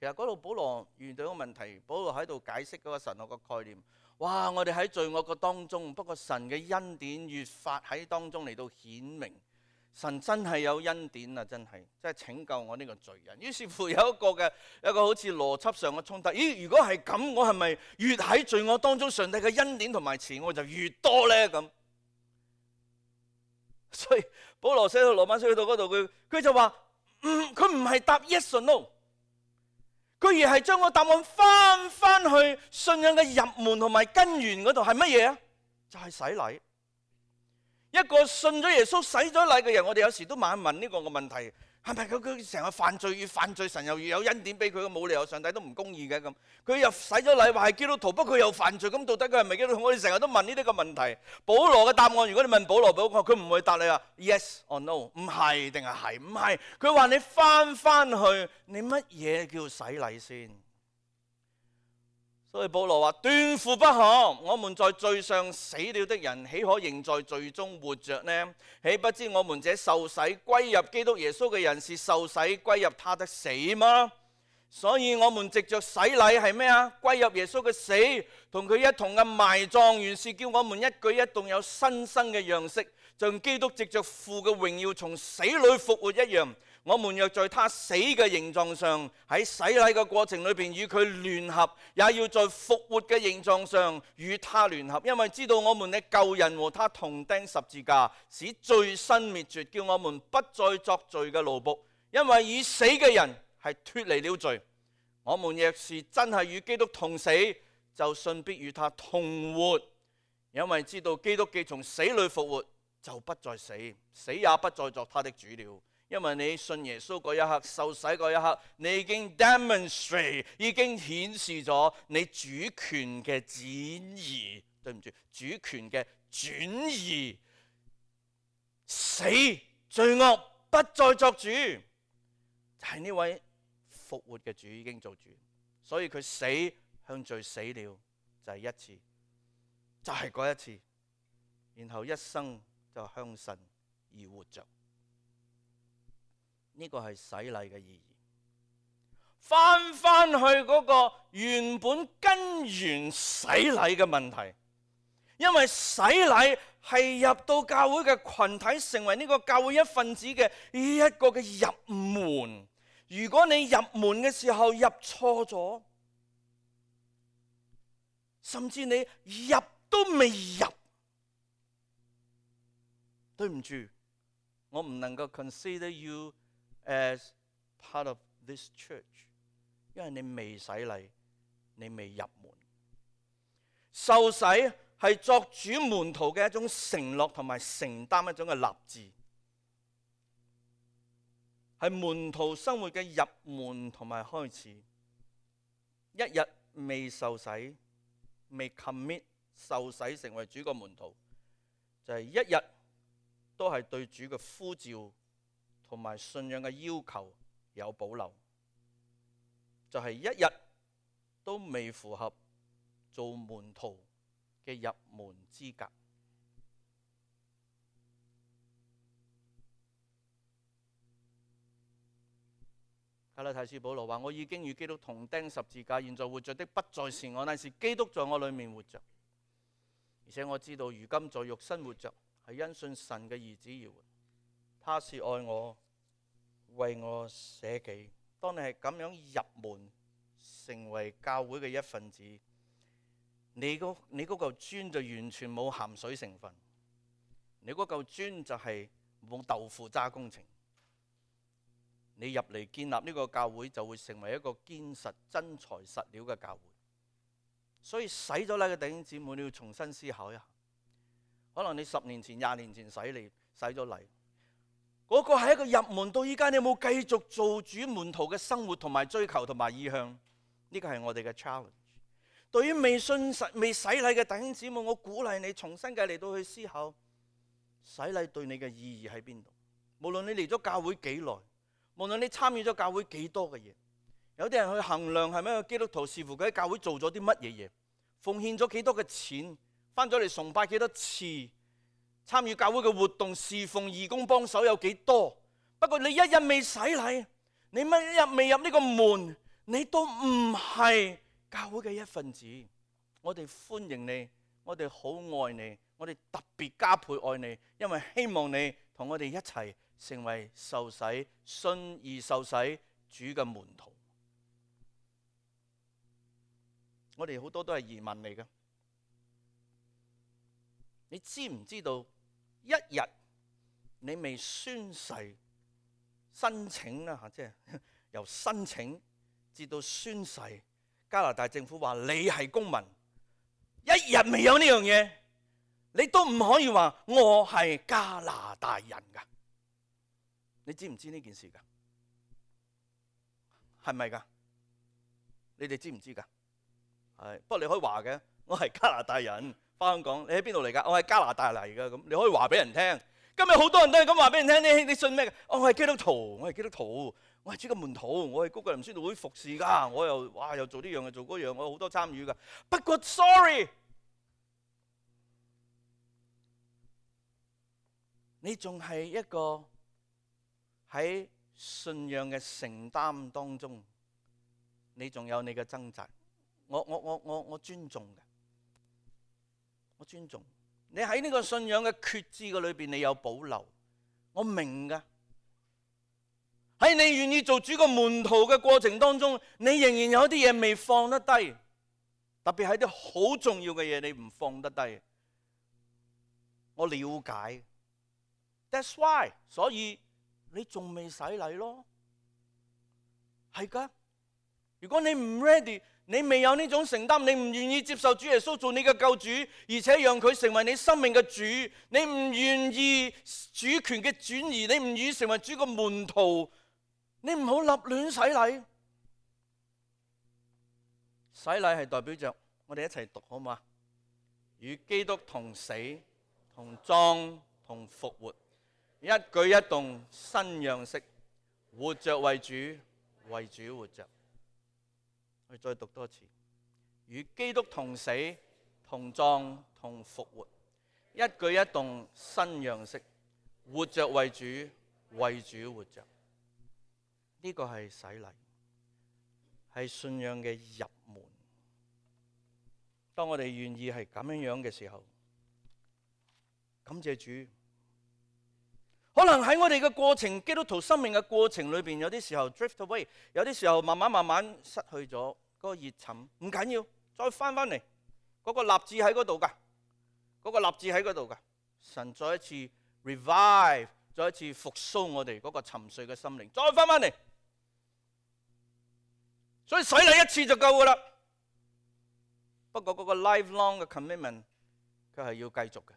其實嗰度保羅遇到一個問題，保羅喺度解釋嗰個神學嘅概念。哇！我哋喺罪惡嘅當中，不過神嘅恩典越發喺當中嚟到顯明。神真係有恩典啊！真係，真係拯救我呢個罪人。於是乎有一個嘅一個好似邏輯上嘅衝突。咦？如果係咁，我係咪越喺罪惡當中，上帝嘅恩典同埋慈愛就越多呢？咁，所以保羅寫到羅馬書去到嗰度，佢佢就話：嗯，佢唔係答 yes or no， 佢而係將個答案翻翻去信仰嘅入門同埋根源嗰度，係乜嘢啊？就係洗禮。一個信咗耶穌洗咗禮嘅人，我哋有時都問一問呢個個問題，係咪佢佢成日犯罪越犯罪，神又越有恩典俾佢？冇理由上帝都唔公義嘅咁。佢又洗咗禮話係基督徒，不過佢又犯罪，咁到底佢係咪基督徒？我哋成日都問呢啲個問題。保羅嘅答案，如果你問保羅，保羅佢唔會答你話 yes or no， 唔係定係係唔係？佢話你翻翻去，你乜嘢叫洗禮先？所以保羅話斷乎不可，我們在罪上死了的人，豈可仍在罪中活着呢？豈不知我們這受洗歸入基督耶穌嘅人，是受洗歸入他的死嗎？所以我們藉着洗禮係咩啊？歸入耶穌嘅死，同佢一同嘅埋葬，原是叫我們一舉一動有新生嘅樣式，像基督藉着父嘅榮耀從死裏復活一樣。我們若在他死嘅形狀上，喺洗禮嘅過程裏邊與佢聯合，也要在復活嘅形狀上與他聯合，因為知道我們嘅舊人和他同釘十字架，使罪身滅絕，叫我們不再作罪嘅奴僕。因為已死嘅人係脫離了罪，我們若是真係與基督同死，就信必與他同活。因為知道基督既從死裏復活，就不再死，死也不再作他的主了。因為你信耶穌嗰一刻，受洗嗰一刻，你已經 demonstrate， 已經顯示咗你主權嘅轉移，對唔住，主權嘅轉移，死罪惡不再作主，就係呢位復活嘅主已經做主，所以佢死向罪死了，就係一次，就係嗰一次，然後一生就向神而活着。呢個係洗禮嘅意義，翻翻去嗰個原本根源洗禮嘅問題，因為洗禮係入到教會嘅群體，成為呢個教會一份子嘅呢一個嘅入門。如果你入門嘅時候入錯咗，甚至你入都未入，對唔住，我唔能夠 consider you as part of this church， 因為你未洗禮，你未入門。受洗係作主門徒嘅一種承諾同埋承擔一種嘅立志，係門徒生活嘅入門同埋開始。一日未受洗，未 commit 受洗成為主嘅門徒，就係、是、一日都係對主嘅呼召同埋信仰嘅要求有保留，就係、是、一日都未符合做門徒嘅入門資格。加拉太書保羅話：我已經與基督同釘十字架，現在活着的不再是我，乃是基督在我裏面活着。而且我知道如今在肉身活着，係因信神嘅兒子而活。他是愛我，為我捨己。當你係咁樣入門，成為教會嘅一份子，你嗰你嗰嚿磚就完全冇鹹水成分，你嗰嚿磚就係冇豆腐渣工程。你入嚟建立呢個教會，就會成為一個堅實真材實料嘅教會。所以洗咗禮嘅弟兄姊妹，你要重新思考一下。可能你十年前、廿年前洗禮洗咗禮，嗰個係一個入門，到依家你有冇繼續做主門徒嘅生活同埋追求同埋意向？呢個係我哋嘅 challenge。對於未信實未洗禮嘅弟兄姊妹，我鼓勵你重新嘅嚟到去思考洗禮對你嘅意義喺邊度。無論你嚟咗教會幾耐，無論你參與咗教會幾多嘅嘢，有啲人去衡量係咪一個基督徒，視乎佢喺教會做咗啲乜嘢嘢，奉獻咗幾多嘅錢，翻咗嚟崇拜幾多次，參與教會嘅活動、侍奉、義工幫手有幾多，不過你一日未洗禮，你乜一日未入呢個門，你都唔係教會嘅一份子。我哋歡迎你，我哋好愛你，我哋特別加倍愛你，因為希望你同我哋一齊成為受洗、信而受洗主嘅門徒。我哋好多都係移民嚟嘅，你知唔知道？一日你未宣誓申請啦嚇，即係由申請至到宣誓，加拿大政府話你係公民，一日未有呢樣嘢，你都唔可以話我係加拿大人噶。你知唔知呢件事噶？係咪噶？你哋知唔知噶？係，不過你可以話嘅，我係加拿大人，返香港，你喺邊度嚟噶？我係加拿大嚟噶，咁你可以話俾人聽。今日好多人都係咁話俾人聽，你你信咩？哦，我係基督徒，我係基督徒，我係主嘅門徒，我係高格林宣道會服侍噶，我又哇又做呢樣又做嗰樣，我有好多參與噶。不過 sorry， 你仲係一個喺信仰嘅承擔當中，你仲有你嘅掙扎。我我我我我尊重嘅，我尊重。你喺呢個信仰嘅決志嘅裏邊，你有保留，我明噶。喺你願意做主個門徒嘅過程當中，你仍然有啲嘢未放得低，特別係啲好重要嘅嘢，你唔放得低。我了解 ，That's why， 所以你仲未洗禮咯，係噶。如果你唔 ready，你未有呢種承擔，你唔願意接受主耶穌做你嘅救主，而且讓佢成為你生命嘅主，你唔願意主權嘅轉移，你唔願意成為主嘅門徒，你唔好立亂洗禮。洗禮係代表着我哋一齊讀好嘛？與基督同死、同葬、同復活，一舉一動新樣式，活着為主，為主活着。我再讀多次，與基督同死、同葬、同復活，一舉一動新樣式，活着為主，為主活着。呢個係洗禮，係信仰嘅入門。當我哋願意係咁樣樣嘅時候，感謝主。可能喺我哋嘅過程，基督徒生命嘅過程裏邊，有啲時候 drift away， 有啲時候慢慢慢慢失去咗嗰個熱忱。唔緊要，再翻翻嚟，嗰個立志喺嗰度噶，嗰個立志喺嗰度噶。神再一次 revive， 再一次復甦我哋嗰個沉睡嘅心靈，再翻翻嚟。所以洗禮一次就夠噶啦。不過嗰個 lifelong 嘅 commitment， 佢係要繼續嘅。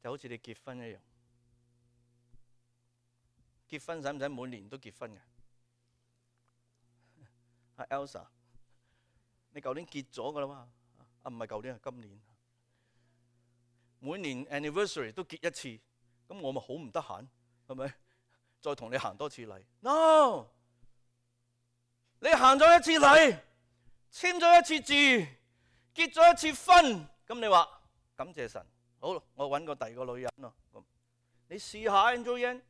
就好似你結婚一樣，結婚使唔使每年都結婚嘅？阿 Elsa， 你舊年結咗噶啦嘛？啊，唔係舊年，係今年。每年 anniversary 都結一次，咁我咪好唔得閒，係咪？再同你行多次禮 ？No， 你行咗一次禮，簽咗一次字，結咗一次婚，咁你話感謝神。好，我揾個第二個女人咯。你試下 Angeline，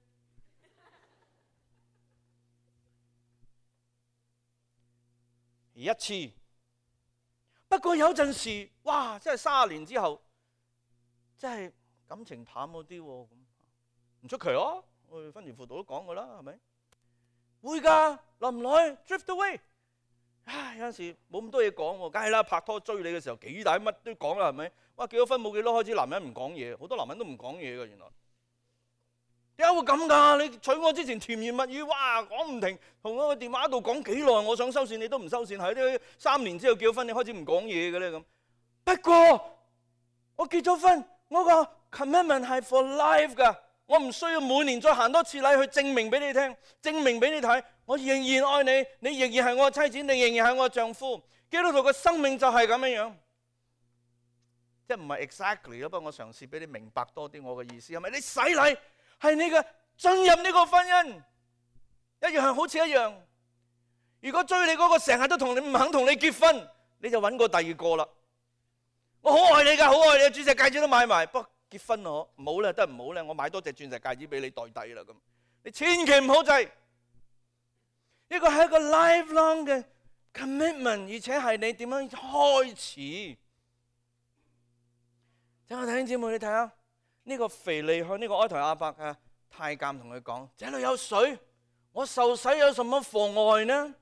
一次。不過有陣時，哇！真係三十年之後，真係感情淡嗰啲喎，咁唔出奇咯。我哋婚前輔導都講過啦，係咪？會㗎，耐唔耐 drift away。唉，有陣時冇咁多嘢講喎，梗係啦。拍拖追你嘅時候幾大乜都講啦，係咪？哇！結咗婚冇幾多開始，男人唔講嘢，好多男人都唔講嘢㗎。原來點解會咁㗎？你娶我之前甜言蜜語，哇講唔停，同我個電話度講幾耐，我想收線你都唔收線，係啲三年之後結咗婚，你開始唔講嘢嘅咧咁。不過我結咗婚，我個 commitment 係 for life 㗎，我唔需要每年再行多次禮去證明俾你聽，證明俾你睇，我仍然愛你，你仍然係我嘅妻子，你仍然係我嘅丈夫。基督徒嘅生命就係咁樣樣。即係唔係 exactly 咯，不過我嘗試俾你明白多啲我嘅意思係咪？你洗禮係你嘅進入呢個婚姻，一樣係好似一樣。如果追你嗰個成日都同你唔肯同你結婚，你就揾個第二個啦。我好愛你㗎，好愛你，鑽石戒指都買埋，不過結婚咯，唔好咧，得唔好咧，我買多隻鑽石戒指俾你代替啦咁。你千祈唔好制，呢個係一個 lifelong 嘅 commitment， 而且係你點樣開始。請我弟兄姊妹，你睇下呢個腓利向呢個埃台亞伯嘅太監同佢講：這裏有水，我受洗有什麼妨礙呢？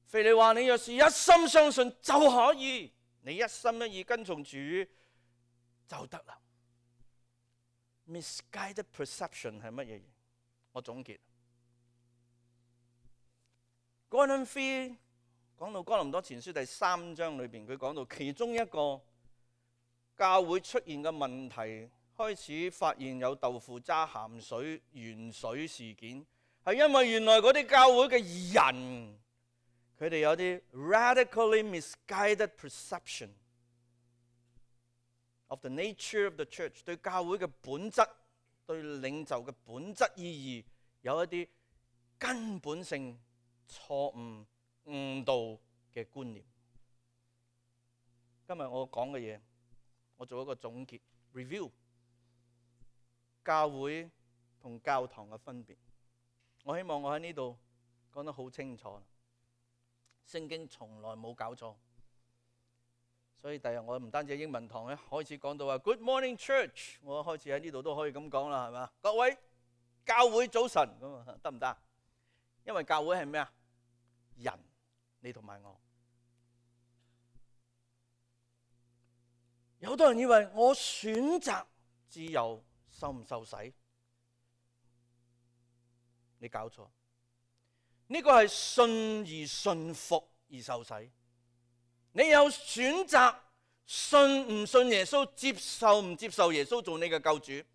腓利話：你若是一心相信就可以，你一心一意跟從主就得啦。Misguided perception 係乜嘢嘢？我總結。Gordon Fee 講到哥林多前書第三章裏邊，佢講到其中一個教會出現嘅問題，開始發現有豆腐渣、鹹水、鉛水事件，係因為原來嗰啲教會嘅人，佢哋有啲 radically misguided perception of the nature of the church， 對教會嘅本質、對領袖嘅本質意義有一啲根本性錯誤誤導嘅觀念。今日我講嘅嘢，我做一個總結 review， 教會同教堂嘅分別。我希望我喺呢度講得好清楚，聖經從來冇搞錯。所以第日我唔單止英文堂咧，開始講到話 Good morning church， 我開始喺呢度都可以咁講啦，係嘛？各位教會早晨咁啊，得唔得？因為教會係咩啊？人，你同埋我。有好多人以為我選擇自由受唔受洗，你搞錯。呢個係信而信服而受洗。你有選擇信唔信耶穌，接受唔接受耶穌做你嘅救主。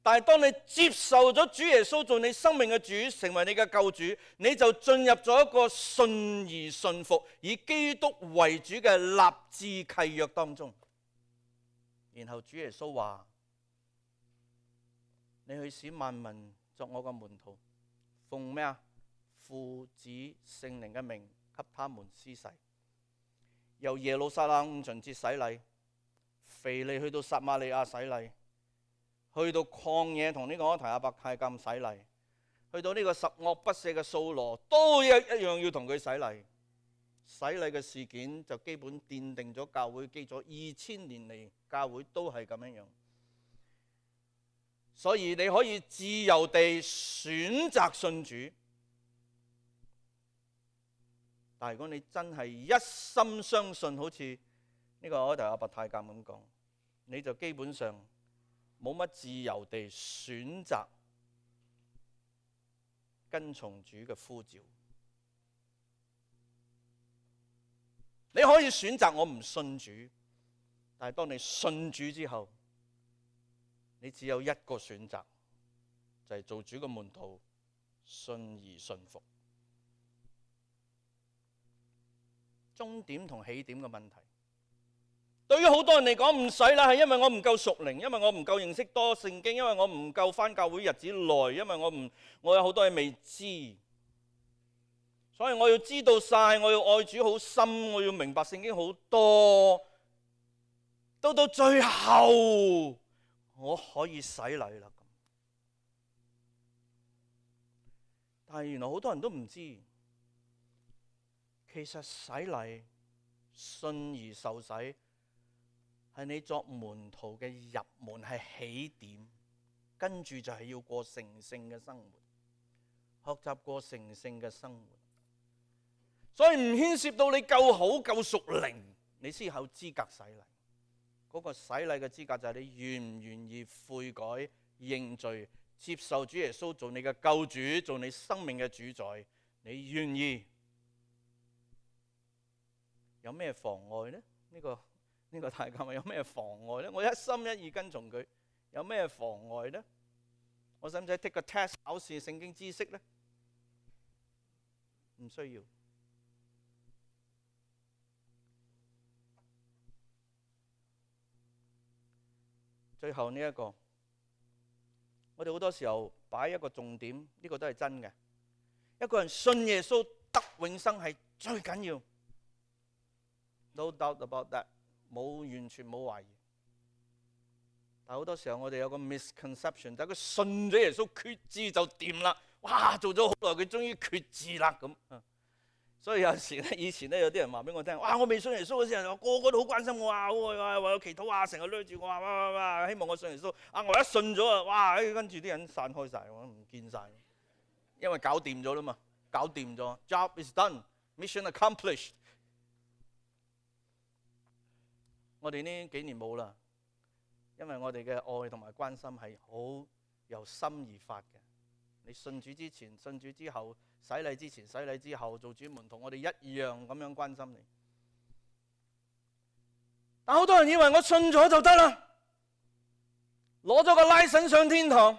但係當你接受咗主耶穌做你生命嘅主，成為你嘅救主，你就進入咗一個信而信服，以基督為主嘅立志契約當中。然後主耶穌話：你去使萬民作我嘅門徒，奉咩啊？父子聖靈嘅名給他們施洗。由耶路撒冷五旬節洗禮，腓利去到撒瑪利亞洗禮，去到曠野同呢個埃台亞伯太監洗禮，去到呢個十惡不赦嘅掃羅都一一樣要同佢洗禮。洗禮嘅事件就基本奠定咗教會基礎，二千年嚟教會都係咁樣樣。所以你可以自由地選擇信主。但係如果你真係一心相信，好似呢個埃台亞伯太監咁講，你就基本上冇乜自由地選擇跟從主嘅呼召。你可以選擇我唔信主，但係當你信主之後，你只有一個選擇，就係做主嘅門徒，信而信服。終點同起點嘅問題，對於好多人嚟講唔使啦，係因為我唔夠屬靈，因為我唔夠認識多聖經，因為我唔夠返教會日子耐，因為我唔我有好多嘢未知，所以我要知道晒，我要愛主好深，我要明白聖經好多，到到最後我可以洗禮啦。但係原來好多人都唔知。其實洗禮、信而受洗係你作門徒嘅入門，係起點，跟住就係要過成聖嘅生活，學習過成聖嘅生活。所以唔牽涉到你夠好夠屬靈，你先有資格洗禮。嗰個洗禮嘅資格就係你願唔願意悔改、認罪、接受主耶穌做你嘅救主，做你生命嘅主宰。你願意？有咩妨礙呢？呢個呢個太監有咩妨礙呢？我一心一意跟從佢，有咩妨礙呢？我使唔使 take 個 test 考試聖經知識呢？唔需要。最後呢一個，我哋好多時候擺一個重點，呢個都係真嘅。一個人信耶穌得永生係最緊要。No doubt about that， 冇完全冇懷疑。但好多時候我哋有個 misconception， 就係佢信咗耶穌決志就掂啦。哇，做咗好耐，佢終於決志啦咁。所以有時咧，以前咧有啲人話俾我聽，哇！我未信耶穌嗰時候，個個都好關心我啊，話為我祈禱啊，成日攆住我啊，哇哇哇，希望我信耶穌。啊，我一信咗啊，哇！跟住啲人散開晒，我唔見晒，因為搞掂咗啦嘛，搞掂咗 ，job is done，mission accomplished。我哋呢幾年冇啦，因為我哋嘅愛同埋關心係好由心而發嘅。你信主之前、信主之後、洗禮之前、洗禮之後，做主門徒，我哋一樣咁樣關心你。但好多人以為我信咗就得啦，攞咗個拉繩上天堂。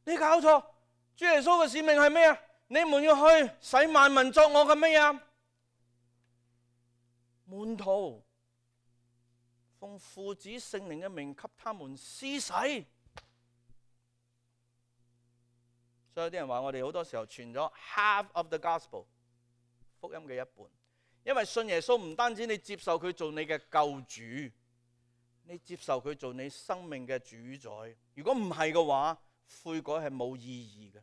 你搞錯，主耶穌嘅使命係咩啊？你們要去使萬民作我嘅咩啊？門徒，奉父子聖靈嘅名給他們施洗。所以有啲人話我哋好多時候傳咗 half of the gospel 福音嘅一半，因為信耶穌唔單止你接受佢做你嘅救主，你接受佢做你生命嘅主宰。如果唔係嘅話，悔改係冇意義嘅。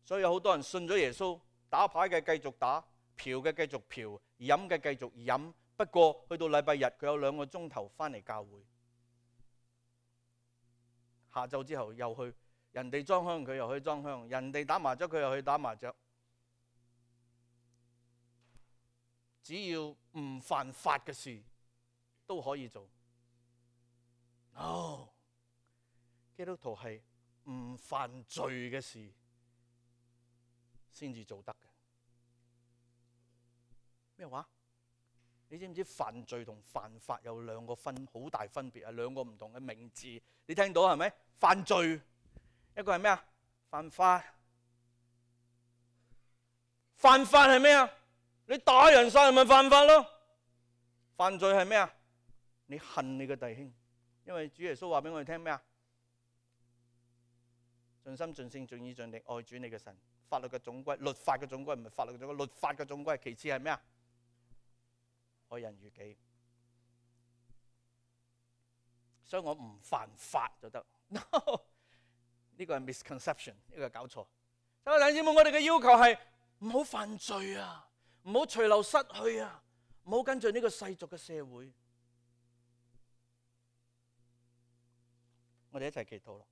所以有好多人信咗耶穌，打牌嘅繼續打，嫖嘅繼續嫖，飲嘅繼續飲。不過去到禮拜日，佢有兩個鐘頭翻嚟教會，下晝之後又去。人哋裝香佢又去裝香，人哋打麻雀佢又去打麻雀。只要唔犯法嘅事都可以做。No， 基督徒係唔犯罪嘅事先至做得嘅。咩話？你知唔知犯罪同犯法有兩個分好大分別啊？兩個唔同嘅名字，你聽到係咪？犯罪。一個係咩啊？犯法。犯法係咩啊？你打人殺人咪犯法咯。犯罪係咩啊？你恨你嘅弟兄，因為主耶穌話俾我哋聽咩啊？盡心盡性盡意盡力愛主你嘅神。法律嘅總歸，律法嘅總歸唔係法律嘅總歸，律法嘅總歸。其次係咩啊？愛人如己。所以我唔犯法就得。No。呢個係 misconception， 呢個係搞錯。所以弟兄姊妹，我哋嘅要求係唔好犯罪啊，唔好隨流失去啊，唔好跟住呢個世俗嘅社會。我哋一齊祈禱咯。